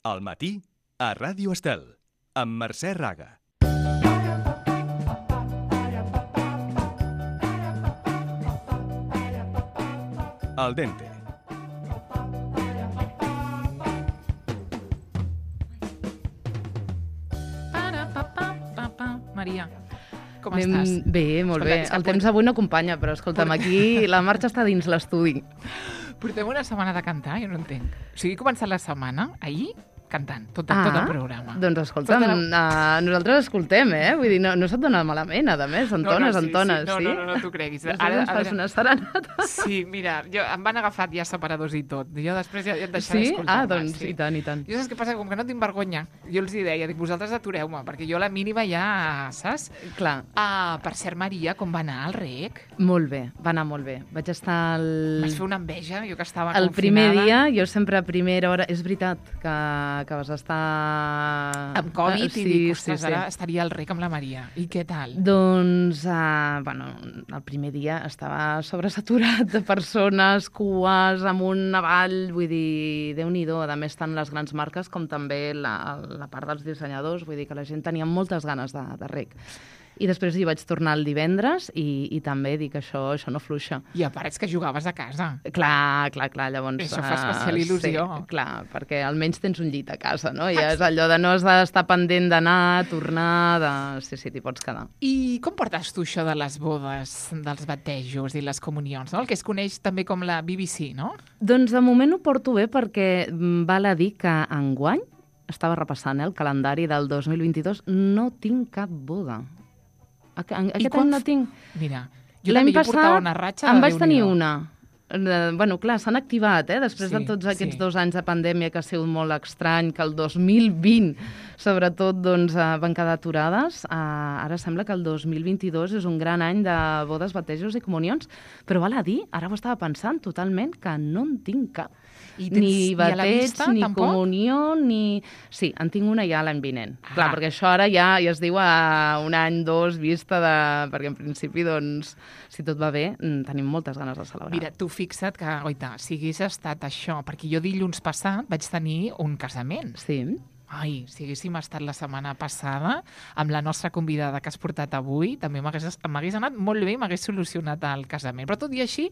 Al matí, a Ràdio Estel, amb Mercè Raga. Al dente. Maria, com estàs? Bé, molt bé. El temps avui no acompanya, però escolta'm, aquí la marxa està dins l'estudi. Portem una setmana de cantar, jo no entenc. O sigui, he començat la setmana, ahir, cantant, tot el programa. Doncs escolta'm, nosaltres escoltem, Vull dir, no se't dona malament, a més, entones, sí? No t'ho creguis. Ara fas una serenata. Sí, mira, em van agafat ja separadors i tot. Jo després ja et deixaré escoltar-me. Doncs sí. I tant. Jo saps què passa? Com que no tinc vergonya, jo els hi deia, dic, vosaltres atureu-me, perquè jo a la mínima ja, saps? Clar. Per cert, Maria, com va anar el rec? Molt bé, va anar molt bé. Vaig estar Vas fer una enveja, jo que estava confinada. El primer dia, jo sempre a primera hora... És veritat que vas estar... Amb Covid, i dic, ostres, ara estaria al rec amb la Maria. I què tal? Doncs, el primer dia estava sobresaturat de persones, cues, amunt, avall, vull dir, Déu-n'hi-do. A més, tant les grans marques com també la part dels dissenyadors, vull dir que la gent tenia moltes ganes de rec. I després hi vaig tornar el divendres i també dic, això no fluixa. I a part és que jugaves a casa. Clar, llavors... Això fa especial il·lusió. Sí, clar, perquè almenys tens un llit a casa, no? I és allò de no has d'estar pendent d'anar, tornar, Sí, t'hi pots quedar. I com portes tu això de les bodes, dels batejos i les comunions, no? El que es coneix també com la BBC, no? Doncs de moment ho porto bé perquè val a dir que enguany, estava repassant el calendari del 2022, no tinc cap boda. Aquest any no tinc... Mira, jo també portava una ratxa de Déu-n'hi-do. Em vaig tenir una. Bueno, clar, s'han activat, després de tots aquests 2 anys de pandèmia que ha sigut molt estrany, que el 2020, sobretot, doncs, van quedar aturades. Ara sembla que el 2022 és un gran any de bodes, batejos i comunions, però val a dir, ara ho estava pensant totalment, que no en tinc cap. Ni bateig, ni tampoc? Comunió, ni... Sí, en tinc una ja l'any vinent. Clar, perquè això ara ja es diu a un any, 2, vista de... Perquè en principi, doncs, si tot va bé, tenim moltes ganes de celebrar. Mira, tu fixa't que, oita, si hagués estat això, perquè jo dilluns passat vaig tenir un casament. Sí. Ai, si haguéssim estat la setmana passada amb la nostra convidada que has portat avui, també m'hagués anat molt bé i m'hagués solucionat el casament. Però tot i així...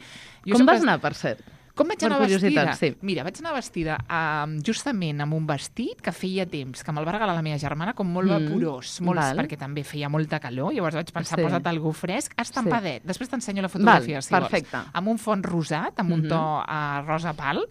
Com vas anar, per cert? Com vaig anar vestida? Sí. Mira, vaig anar vestida justament amb un vestit que feia temps, que me'l va regalar la meva germana, com molt vaporós, perquè també feia molta calor, llavors vaig pensar, posa't algú fresc, estampadet. Després t'ensenyo la fotografia, si vols. Amb un font rosat, amb un to rosa pal,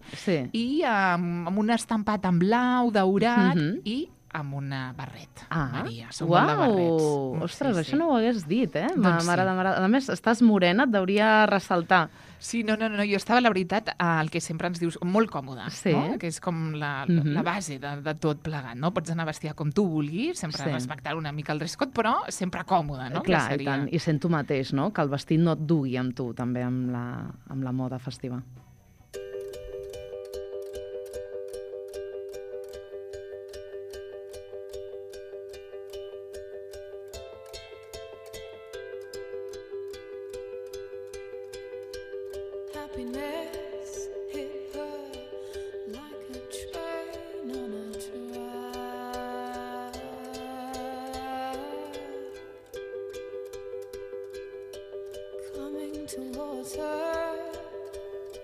i amb un estampat en blau, daurat, i amb una barret. Maria, som molt de barrets. Ostres, això no ho hagués dit, M'agrada. A més, estàs morena, et hauria ressaltar. Sí, no, jo estava, la veritat, el que sempre ens dius, molt còmoda, no? Que és com la base de tot plegat, no? Pots anar vestida com tu vulguis, sempre respectar una mica el dress code, però sempre còmoda, no? Clar, i tant. I sent tu mateix, no? Que el vestit no et dugui amb tu, també, amb la moda festiva.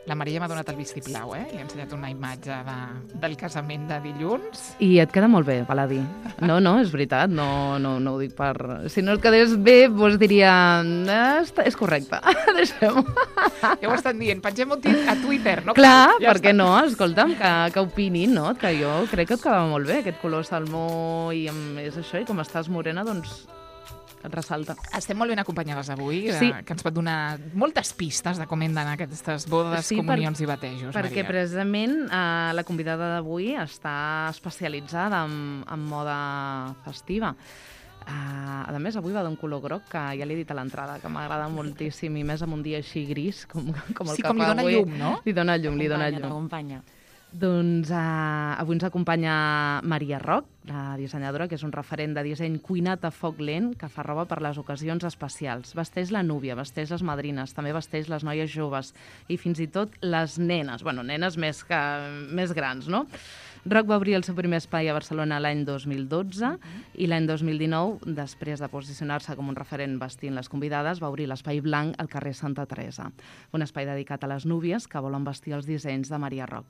La Maria m'ha donat el vistiplau, Li he ensenyat una imatge del casament de dilluns. I et queda molt bé, val a dir. No, és veritat, no ho dic per... Si no et quedés bé, doncs diria... És correcte, deixem-ho. Ja ho estan dient, pengem-ho a Twitter, no? Clar, per què no? Escolta'm, que opinin, no? Que jo crec que et quedava molt bé, aquest color salmó, i és això, i com estàs morena, doncs... et ressalta. Estem molt ben acompanyades avui, que ens pot donar moltes pistes de com hem d'anar aquestes bodes, comunions i batejos, perquè Maria. Precisament la convidada d'avui està especialitzada en moda festiva. A més, avui va d'un color groc que ja l'he dit a l'entrada, que m'agrada moltíssim, i més en un dia així gris, com el que fa avui. Sí, com li dona llum, no? Li dona llum. T'acompanya. Doncs avui ens acompanya Maria Roc, la dissenyadora, que és un referent de disseny cuinat a foc lent, que fa roba per les ocasions especials. Vesteix la núvia, vesteix les madrines, també vesteix les noies joves i fins i tot les nenes, bueno, nenes més grans, no? Roc va obrir el seu primer espai a Barcelona l'any 2012 i l'any 2019, després de posicionar-se com un referent vestint les convidades, va obrir l'Espai Blanc al carrer Santa Teresa, un espai dedicat a les núvies que volen vestir els dissenys de Maria Roc.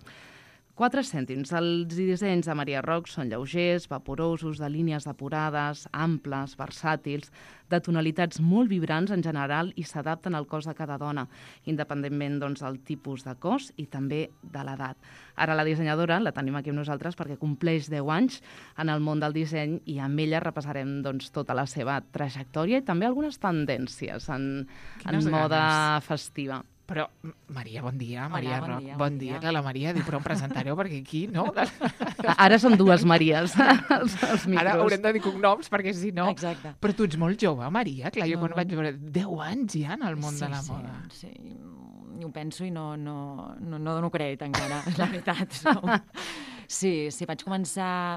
4 cèntims. Els dissenys de Maria Roc són lleugers, vaporosos, de línies depurades, amples, versàtils, de tonalitats molt vibrants en general i s'adapten al cos de cada dona, independentment del tipus de cos i també de l'edat. Ara la dissenyadora la tenim aquí amb nosaltres perquè compleix 10 anys en el món del disseny i amb ella repassarem tota la seva trajectòria i també algunes tendències en moda festiva. Però, Maria, bon dia. Maria Hola, Roc. Bon dia. Que la Maria diu, però em presentareu perquè aquí, no? Ara són 2 Maries, els micros. Ara haurem de dir cognoms, perquè si no... Exacte. Però tu ets molt jove, Maria. Clar, jo quan vaig veure 10 anys ja en el món de la moda. Sí, ho penso i no dono crèdit encara, la veritat. Sí, vaig començar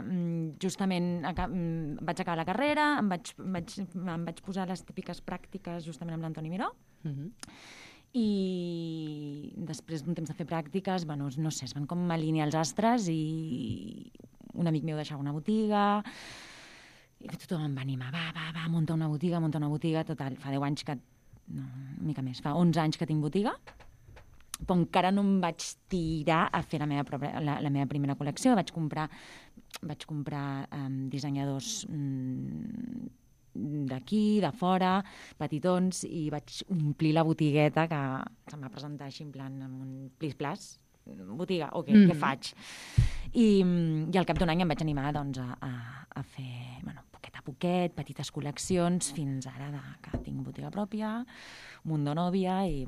justament... Vaig acabar la carrera, em vaig posar les típiques pràctiques justament amb l'Antoni Miró, i després d'un temps de fer pràctiques, no sé, es van com alinear els astres i un amic meu deixava una botiga i tothom em va animar, va, munta una botiga, total, fa 10 anys que... No, una mica més, fa 11 anys que tinc botiga, però encara no em vaig tirar a fer la meva primera col·lecció, vaig comprar dissenyadors d'aquí, de fora, petitons, i vaig omplir la botigueta que se'm va presentar així en plan amb un plis-plas, botiga, ok, què faig? I al cap d'un any em vaig animar a fer, poquet a poquet, petites col·leccions, fins ara que tinc botiga pròpia, Mundo Novia i,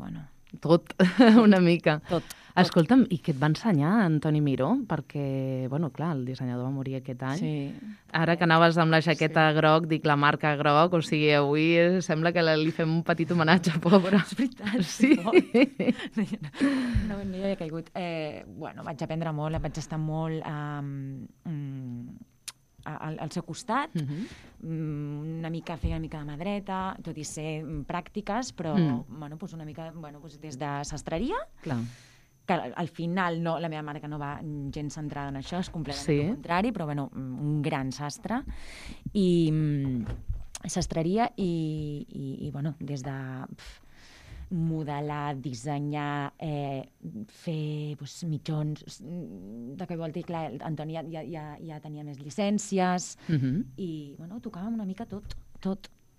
Tot, una mica. Tot. Escolta'm, i què et va ensenyar Antoni Miró? Perquè, clar, el dissenyador va morir aquest any. Sí. Ara que anaves amb la jaqueta groc, dic la marca groc, o sigui, avui sembla que li fem un petit homenatge, pobre. És veritat. Sí. No hi he caigut. Vaig aprendre molt, vaig estar molt al seu costat, feia una mica de mà dreta, tot i ser pràctiques, però una mica des de sastreria, clar, que al final la meva marca no va gens centrada en això, és completament el contrari, però un gran sastre, i sastreria i des de modelar, dissenyar, fer mitjons, de que vol dir, clar, Antoni ja tenia més llicències i, tocàvem una mica tot.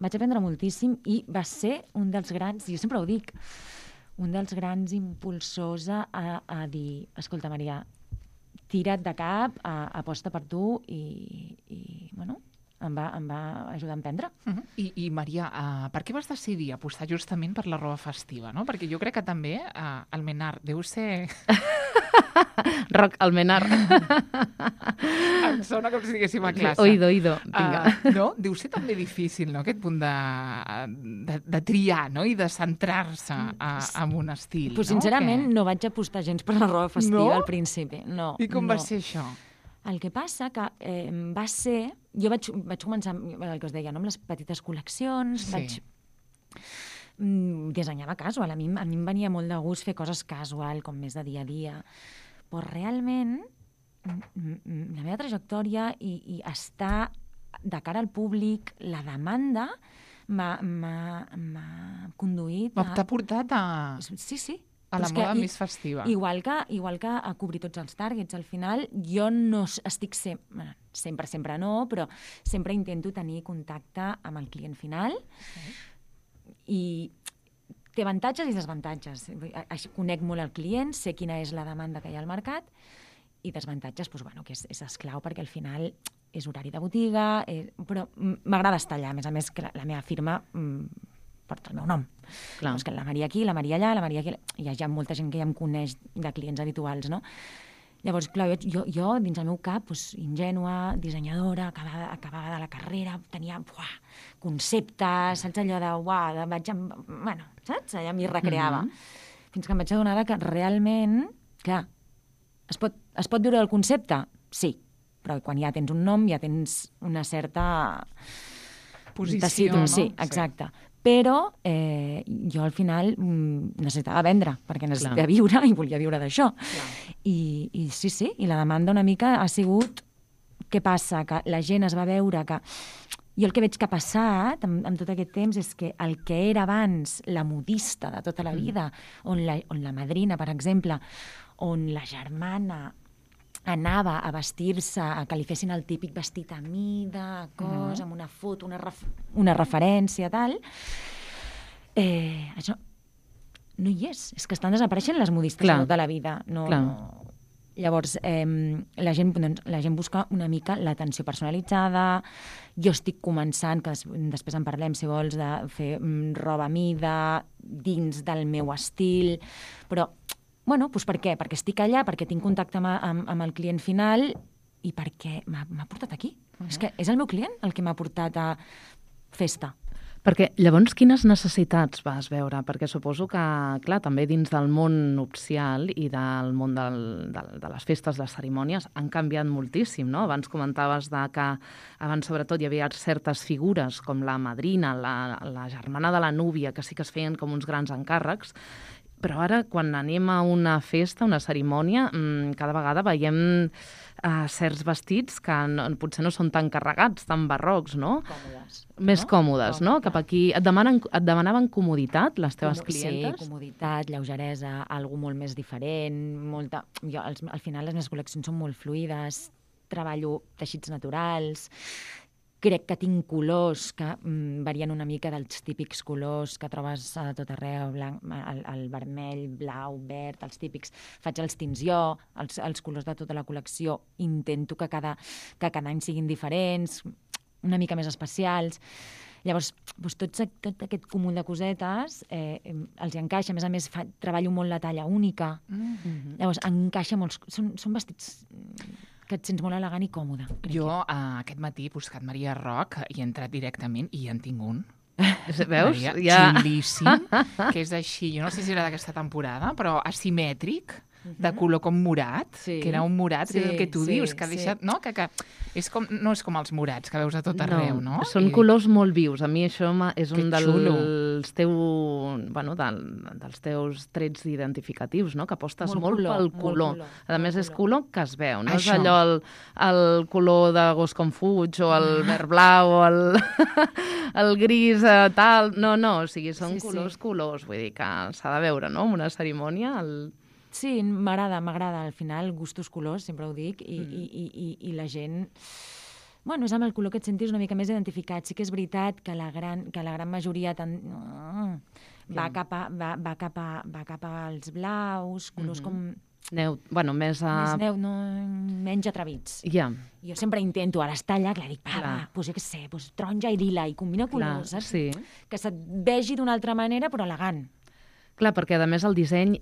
Vaig aprendre moltíssim i va ser un dels grans, jo sempre ho dic, un dels grans impulsors a dir, escolta, Maria, tira't de cap, aposta per tu i em va ajudar a emprendre. I Maria, per què vas decidir apostar justament per la roba festiva, no? Perquè jo crec que també el Menar deu ser... Roc, el Menar. Em sona com si diguéssim a classe. Oído, vinga. No? Deu ser també difícil, no?, aquest punt de triar, no?, i de centrar-se en un estil. Pues, sincerament, no vaig apostar gens per la roba festiva al principi. No. I com va ser això? El que passa que va ser... Jo vaig començar, el que us deia, amb les petites col·leccions, dissenyava casual. A mi em venia molt de gust fer coses casual, com més de dia a dia. Però realment, la meva trajectòria i estar de cara al públic, la demanda, m'ha conduït a... T'ha portat a... Sí. A la moda més festiva. Igual que a cobrir tots els targets. Al final, jo no estic sempre no, però sempre intento tenir contacte amb el client final i té avantatges i desavantatges. Conec molt el client, sé quina és la demanda que hi ha al mercat i desavantatges, que és esclau perquè al final és horari de botiga, però m'agrada estar allà. A més que la meva firma... porta el meu nom. Clar. Que la Maria aquí, la Maria allà, la Maria aquí... Hi ha molta gent que ja em coneix de clients habituals, no? Llavors, clar, jo dins el meu cap, ingènua, dissenyadora, acabava de la carrera, tenia conceptes, saps allò de... saps? Allà m'hi recreava. Fins que em vaig adonar que realment, clar, es pot viure del concepte? Sí, però quan ja tens un nom, ja tens una certa... posició, no? Sí, exacte. però jo al final necessitava vendre, perquè necessitava viure i volia viure d'això. I sí, i la demanda una mica ha sigut què passa, que la gent es va veure que... Jo el que veig que ha passat amb tot aquest temps és que el que era abans la modista de tota la vida, on la madrina, per exemple, on la germana anava a vestir-se, a que li fessin el típic vestit a mida, amb una foto, una referència, tal, això no hi és. És que estan desapareixent les modistes de tota la vida. Llavors, la gent busca una mica l'atenció personalitzada. Jo estic començant, que després en parlem, si vols, de fer roba a mida dins del meu estil, però, bueno, doncs per què? Perquè estic allà, perquè tinc contacte amb el client final i perquè m'ha portat aquí. És que és el meu client el que m'ha portat a festa. Perquè llavors quines necessitats vas veure? Perquè suposo que, clar, també dins del món nupcial i del món de les festes, les cerimònies, han canviat moltíssim, no? Abans comentaves que abans sobretot hi havia certes figures com la madrina, la germana de la núvia, que sí que es feien com uns grans encàrrecs, però ara, quan anem a una festa, una cerimònia, cada vegada veiem certs vestits que potser no són tan carregats, tan barrocs, no? Còmodes. Més còmodes, no? Cap aquí. Et demanaven comoditat, les teves clientes? Sí, comoditat, lleugeresa, algú molt més diferent, molta... Jo, al final les meves col·leccions són molt fluides, treballo teixits naturals, crec que tinc colors que varien una mica dels típics colors que trobes a tot arreu, el vermell, blau, verd, els típics. Faig els tints jo, els colors de tota la col·lecció. Intento que cada any siguin diferents, una mica més especials. Llavors, tot aquest cúmul de cosetes els encaixa. A més, treballo molt la talla única. Llavors, encaixa molt. Són vestits que et sents molt elegant i còmode. Jo aquest matí he buscat Maria Roc i he entrat directament i en tinc un. Veus? Xulíssim, que és així, jo no sé si era d'aquesta temporada, però asimètric, de color com morat, que era un morat, que és el que tu dius, que ha deixat... No, que és com, no és com els morats que veus a tot arreu, no? Són colors molt vius. A mi això és un dels teus trets identificatius, no? Que apostes molt pel color. A més, és color que es veu, no és allò el color de gos com fuig o el verd blau o el gris tal... No, o sigui, són colors. Vull dir que s'ha de veure, no? En una cerimònia... Sí, m'agrada. Al final, gustos colors, sempre ho dic, i la gent... Bueno, és amb el color que et sentis una mica més identificat. Sí que és veritat que la gran majoria va cap als blaus, colors com... més menys atrevits. Ja. Jo sempre intento, ara està allà, dic, doncs jo què sé, taronja i lila, i combina colors, saps? Sí. Que se't vegi d'una altra manera, però elegant. Clar, perquè a més el disseny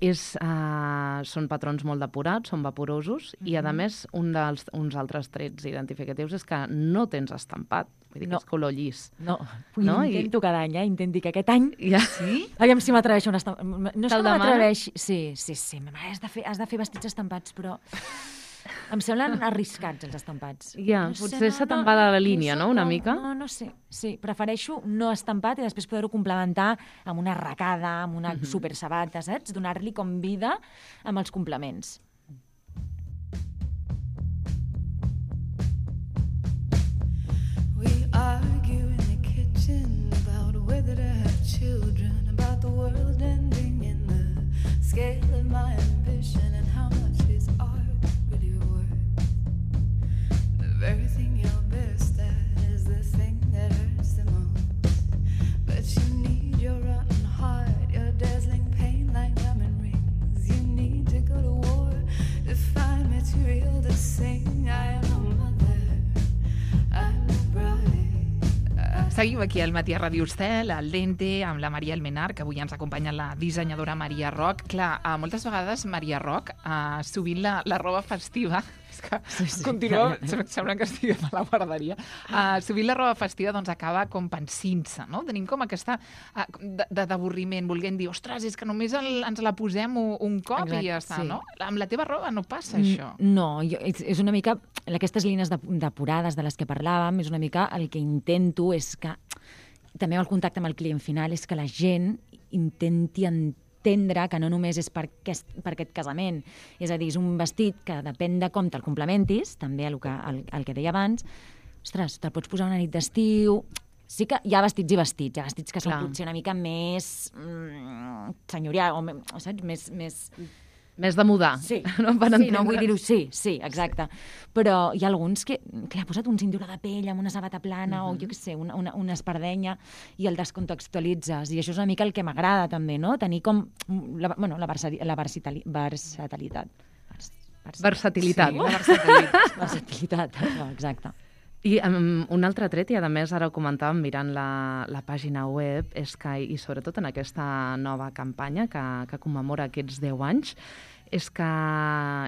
són patrons molt depurats, són vaporosos, i a més uns altres trets identificatius és que no tens estampat, vull dir que és color llis. No, intento cada any, intento que aquest any... Sí? Aviam si m'atreveixo un estampat. No és que m'atreveixi... Sí, has de fer vestits estampats, però... Em semblen arriscats, els estampats. Ja, potser se te'n va de la línia, no?, una mica? No sé. Sí, prefereixo no estampat i després poder-ho complementar amb una arracada, amb una supersabata, saps? Donar-li com vida amb els complements. We argue in the kitchen about whether to have children, about the world ending in the scale of my ambition and how much is art really worth. The very thing you're best at is the thing that hurts the most. But you need your rotten heart, your dazzling pain like diamond rings. You need to go to war to find material to sing. I am a mother, I'm a bride. Seguim aquí al Matí a Ràdio Estel, al Dente, amb la Maria Almenar, que avui ens acompanya la dissenyadora Maria Roc. Clar, moltes vegades Maria Roc, sovint la roba festiva, és que continua, sembla que estiguem a la guarderia, sovint la roba festiva doncs acaba com pensint-se, no? Tenim com aquesta d'avorriment, volent dir, ostres, és que només ens la posem un cop. Exacte, i ja està, no? Amb la teva roba no passa això. No, és una mica, aquestes línies depurades de les que parlàvem, és una mica el que intento és que també el contacte amb el client final és que la gent intenti entendre que no només és per aquest casament, és a dir, és un vestit que depèn de com te'l complementis, també el que deia abans, ostres, te'l pots posar una nit d'estiu. Sí que hi ha vestits i vestits, hi ha vestits que són potser una mica més senyorial, o saps? Més de mudar. Sí, no vull dir-ho, sí, exacte. Però hi ha alguns que ha posat un cinturó de pell amb una sabata plana o, jo què sé, una espardenya i el descontextualitzes. I això és una mica el que m'agrada també, no? Tenir com la versatilitat. Versatilitat. Versatilitat, exacte. I un altre tret, i a més ara ho comentàvem mirant la pàgina web, és que, i sobretot en aquesta nova campanya que commemora aquests 10 anys, és que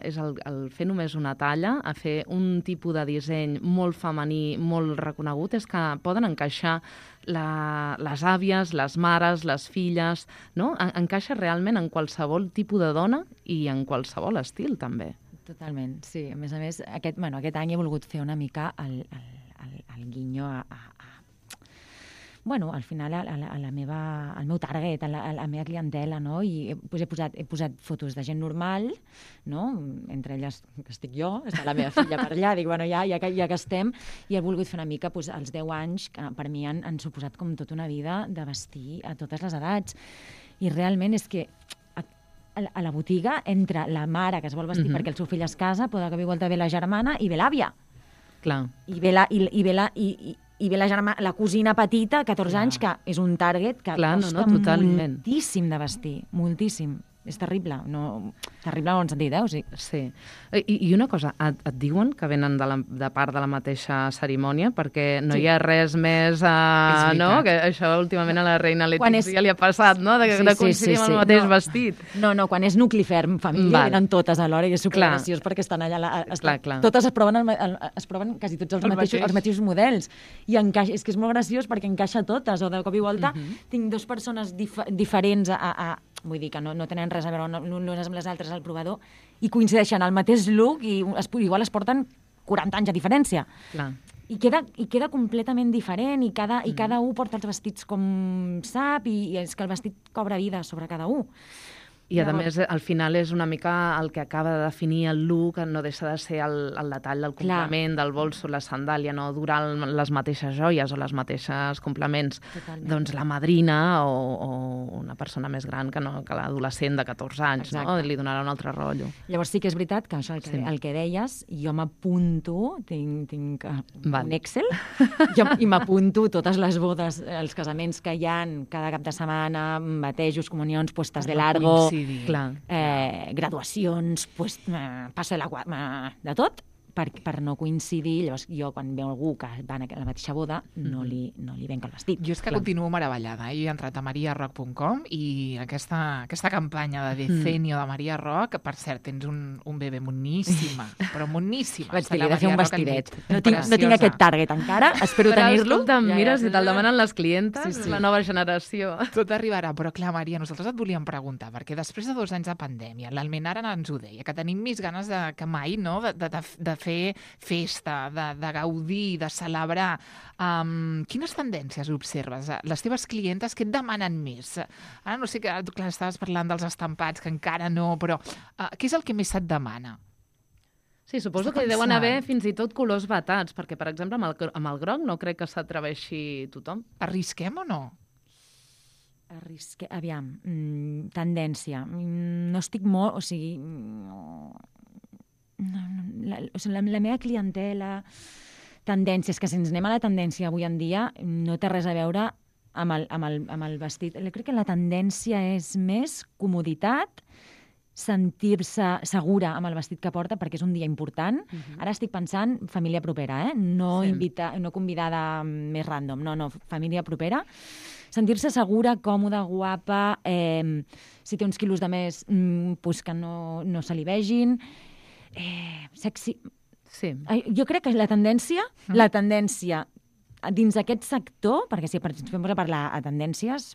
és el fer només una talla, a fer un tipus de disseny molt femení, molt reconegut, és que poden encaixar les àvies, les mares, les filles, no? Encaixa realment en qualsevol tipus de dona i en qualsevol estil, també. Totalment, sí. A més, aquest any he volgut fer una mica el guinyo al final al meu target, a la meva clientela, no? I he posat fotos de gent normal, no? Entre elles que estic jo, està la meva filla per allà, dic, ja que estem, i he volgut fer una mica els 10 anys, que per mi han suposat com tota una vida de vestir a totes les edats. I realment és que a la botiga entra la mare que es vol vestir perquè el seu fill es casa, pot que igual ve la germana i ve l'àvia. Clar. I ve la germana, la cosina petita, 14 anys, que és un target que costa moltíssim de vestir, moltíssim. És terrible, terrible en bon sentit, o sigui. Sí. I una cosa, et diuen que venen de part de la mateixa cerimònia, perquè no hi ha res més, no? Que això últimament a la reina Letizia li ha passat, no? De coincidir amb el mateix vestit. No, quan és nucli ferm, família, venen totes alhora i és supergraciós perquè estan allà. Totes es proven quasi tots els mateixos models. I és que és molt graciós perquè encaixa totes, o de cop i volta tinc dues persones diferents vull dir que no tenen res a veure unes amb les altres al provador i coincideixen al mateix look i igual es porten 40 anys de diferència. Clar. I queda completament diferent i cada un porta els vestits com sap i és que el vestit cobra vida sobre cada un. I, a més, al final és una mica el que acaba de definir el look, no deixa de ser el detall del complement, del bolso, la sandàlia, no durar les mateixes joies o les mateixes complements. Totalment. Doncs la madrina o una persona més gran que l'adolescent de 14 anys, no? Li donarà un altre rotllo. Llavors sí que és veritat que això, el que deies, jo m'apunto, tinc un Excel, i m'apunto totes les bodes, els casaments que hi ha cada cap de setmana, batejos, comunions, puestes de largo, graduacions, passo de de tot, per no coincidir. Llavors, jo, quan veu algú que va a la mateixa boda, no li venc el vestit. Jo és que continuo meravellada. Jo he entrat a mariarock.com i aquesta campanya de Decenio de Maria Rock, per cert, tens un bebè moníssima, però moníssima. Vaig dir-li de fer un vestidet. No tinc aquest target encara, espero tenir-lo. Mira, si te'l demanen les clientes, la nova generació. Tot arribarà, però clar, Maria, nosaltres et volíem preguntar, perquè després de 2 anys de pandèmia, l'Almenara ens ho deia, que tenim més ganes que mai, no?, de fer festa, de gaudir, de celebrar. Quines tendències observes? Les teves clientes, què et demanen més? Ara no sé, clar, estaves parlant dels estampats, que encara no, però què és el que més se't demana? Sí, suposo que deuen haver fins i tot colors vetats, perquè, per exemple, amb el groc no crec que s'atreveixi tothom. Arrisquem o no? Aviam, tendència. No estic molt... O sigui... la meva clientela, tendències, que si ens anem a la tendència avui en dia, no té res a veure amb el vestit. Crec que la tendència és més comoditat, sentir-se segura amb el vestit que porta, perquè és un dia important. Ara estic pensant família propera, no convidada més random, no, família propera. Sentir-se segura, còmoda, guapa, si té uns quilos de més, pues que no se li vegin. Sexy. Sí. Jo crec que la tendència dins aquest sector, perquè si ens fem a parlar a tendències,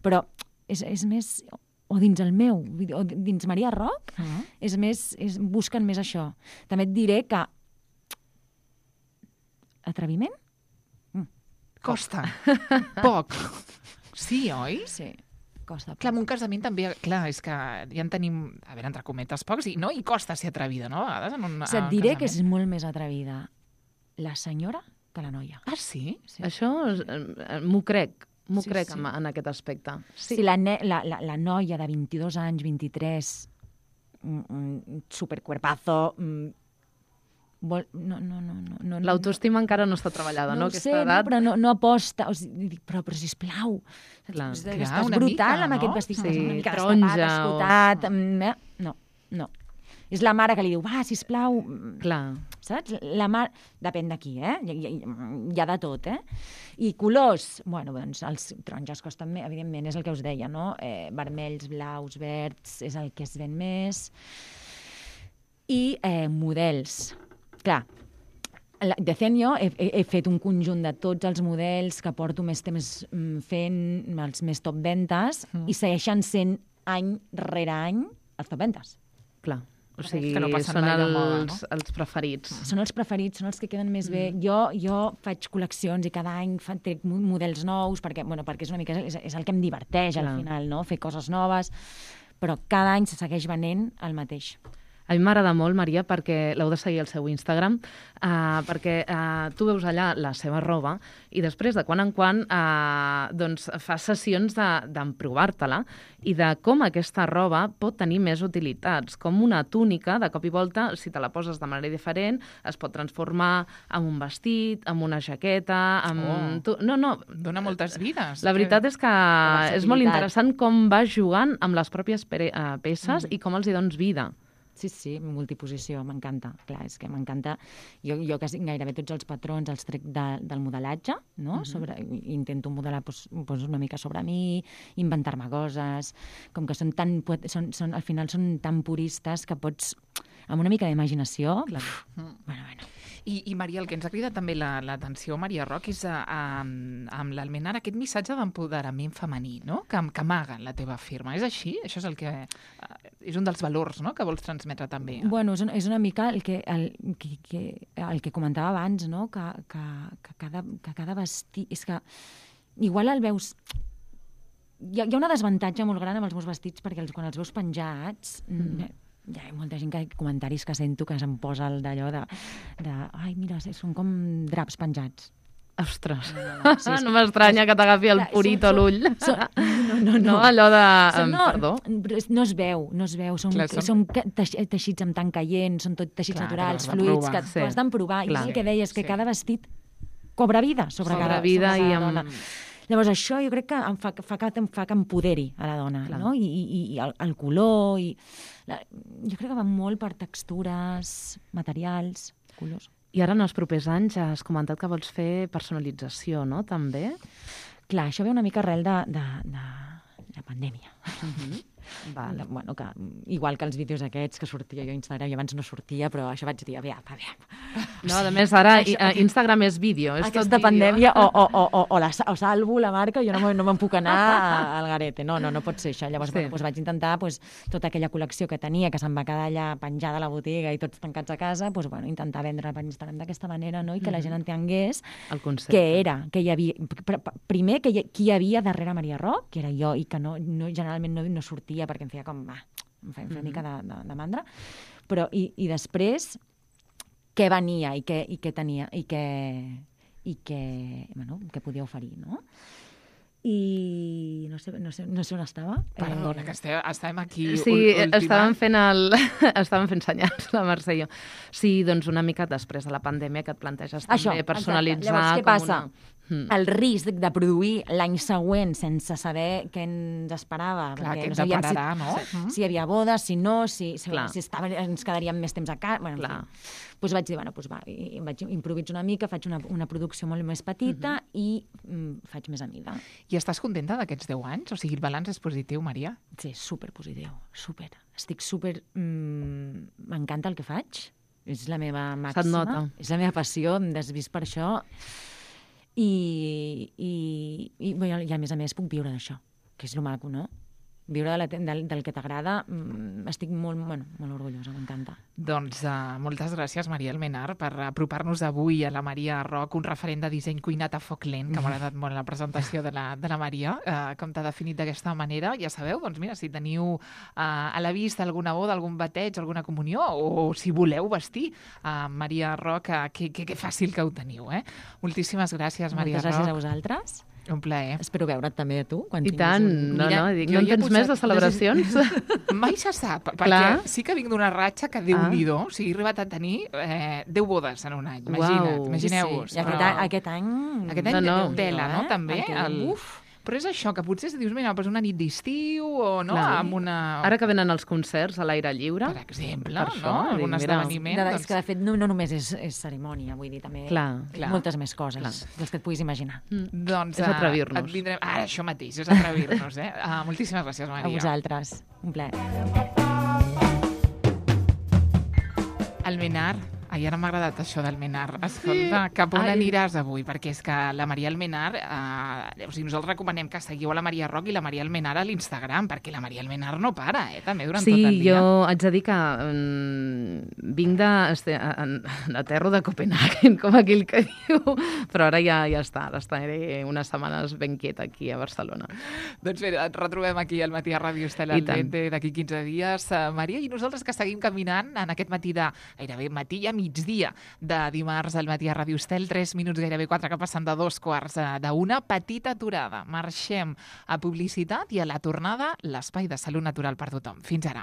però és més, o dins el meu, o dins Maria Rock, és més, busquen més això. També et diré que atreviment? Costa. Poc. Sí, oi? Sí, costa. Clar, en un casament també... Clar, és que ja en tenim, a veure, entre cometes, pocs, i costa ser atrevida, no? A vegades en un Et diré que és casament. molt més atrevida la senyora que la noia. Ah, sí? Sí. Això m'ho crec. M'ho Sí, crec sí. en aquest aspecte. Sí, la noia de 22 anys, 23, supercuerpazo, no. L'autoestima encara no està treballada, no? No ho sé, Aquesta edat... però no aposta. O sigui, però sisplau, Clar, estàs una brutal mica, amb no? aquest vestit, Sí, estàs una mica taronja destapat, escotat... No. És la mare que li diu, va, sisplau... Clar. Saps? La mare... Depèn de qui, eh? Hi ha de tot, eh? I colors, bueno, doncs els taronges costen més, evidentment, és el que us deia, no? Vermells, blaus, verds, és el que es ven més. I models. Clar, Decenio, he fet un conjunt de tots els models que porto més temps fent, els més top ventes, i segueixen sent any rere any els top ventes. Clar. O sigui, que no passen són mai de moda, els preferits. Són els preferits, són els que queden més bé. Jo faig col·leccions i cada any trec models nous, perquè és una mica és el que em diverteix al final, no? Fer coses noves, però cada any se segueix venent el mateix. A mi m'agrada molt, Maria, perquè l'heu de seguir al seu Instagram, perquè tu veus allà la seva roba i després, de quan en quan, doncs, fas sessions d'emprovar-te-la i de com aquesta roba pot tenir més utilitats. Com una túnica, de cop i volta, si te la poses de manera diferent, es pot transformar en un vestit, en una jaqueta... No. Dona moltes vides. La veritat és que és molt interessant com vas jugant amb les pròpies peces i com els hi dones vida. Sí, multiposició, m'encanta. Clar, és que m'encanta. Jo quasi gairebé tots els patrons els trec del modelatge, no? Intento modelar una mica sobre mi, inventar-me coses, com que al final són tan puristes que pots, amb una mica d'imaginació... Bueno. I Maria, el que ens ha cridat també l'atenció, Maria Roc, és amb l'Almenar aquest missatge d'empoderament femení, no? Que amaga la teva firma. És així? Això és el que... és un dels valors, no?, que vols transmetre també. Bueno, és una mica el que comentava abans, no?, que cada vestit... És que igual el veus... Hi ha una desavantatge molt gran amb els meus vestits, perquè quan els veus penjats... Hi ha molta gent comentaris que sento que se'm posa d'allò de ai, mira, són com draps penjats. Ostres, no m'estranya que t'agafi el purito a l'ull. No, allò de... Perdó. No es veu. Són teixits amb tant caient, són tot teixits naturals, fluids, que tu has d'emprovar. I és el que deies, que cada vestit cobra vida sobre cada dona. Llavors, això jo crec que fa que empoderi a la dona, no? I el color... Jo crec que va molt per textures, materials, colors. I ara, en els propers anys, has comentat que vols fer personalització, no?, també? Clar, això ve una mica arrel de la pandèmia. Vale. Bueno, que, igual que els vídeos aquests que sortia jo a Instagram, i abans no sortia, però això vaig dir, aviam. No, a més, ara Instagram és vídeo. Aquesta pandèmia, o salvo la marca, jo no me'n puc anar al garete. No pot ser això. Llavors vaig intentar tota aquella col·lecció que tenia, que se'm va quedar allà penjada a la botiga i tots tancats a casa, intentar vendre per Instagram d'aquesta manera, no? I que la gent entengués què era, que hi havia... Primer, qui hi havia darrere Maria Roc, que era jo, i que generalment no sortia perquè em feia com... em feia una mica de mandra. Però, i després, què venia i què tenia i què podia oferir, no? I no sé on estava. Perdona, que estàvem aquí... Sí, estàvem fent senyals, la Mercè i jo. Sí, doncs una mica després de la pandèmia que et planteges també personalitzar... Llavors, què passa? El risc de produir l'any següent sense saber què ens esperava. Clar, què ens depararà, no? Si hi havia bodes, si no, si ens quedaríem més temps a casa... Doncs vaig dir, vaig improvisar una mica, faig una producció molt més petita i faig més a mida. I estàs contenta d'aquests 10 anys? O sigui, el balanç és positiu, Maria? Sí, superpositiu, super. Estic super... M'encanta el que faig. És la meva màxima. Se't nota. És la meva passió, em desvist per això. I a més puc viure d'això, que és lo maco, no? Viure del que t'agrada, estic molt orgullosa, m'encanta. Doncs moltes gràcies, Maria Almenar, per apropar-nos avui a la Maria Roc, un referent de disseny cuinat a foc lent, que m'ha agradat molt la presentació de la Maria, com t'ha definit d'aquesta manera. Ja sabeu, doncs mira, si teniu a la vista alguna boda, algun bateig, alguna comunió, o si voleu vestir Maria Roc, que fàcil que ho teniu. Moltíssimes gràcies, Maria Roc. Moltes gràcies a vosaltres. Un plaer. Espero veure't també a tu. Quan I tant, no en tens més de celebracions? Mai se sap, perquè sí que vinc d'una ratxa que Déu-n'hi-do, o sigui, he arribat a tenir 10 bodes en un any, imagineu-vos. Sí. I aquest any... Aquest any tela, no? També. Però és això, que potser si dius, mira, pues una nit d'estiu o no, amb una... Ara que venen els concerts a l'aire lliure. Per exemple, no? Algun esdeveniment. És que, de fet, no només és cerimònia, vull dir, també moltes més coses dels que et puguis imaginar. Doncs és atrevir-nos. Ara, això mateix, és atrevir-nos. Moltíssimes gràcies, Maria. A vosaltres. Un plaer. Almenar. Ai, ara m'ha agradat això d'Almenar. Escolta, cap on aniràs avui? Perquè és que la Maria Almenar... nosaltres recomanem que seguiu a la Maria Roc i la Maria Almenar a l'Instagram, perquè la Maria Almenar no para, també, durant tot el dia. Sí, jo haig de dir que vinc de terra de Copenhagen, com aquell que diu, però ara ja està, ara estaré unes setmanes ben quieta aquí a Barcelona. Doncs bé, et retrobem aquí al matí a Ràdio Estel al Dente d'aquí 15 dies. Maria, i nosaltres que seguim caminant en aquest matí de gairebé matí ja migdia de dimarts al matí a Ràdio Estel, 3 minuts gairebé 4 que passen de 2:15 petita aturada. Marxem a publicitat i a la tornada l'espai de salut natural per tothom. Fins ara.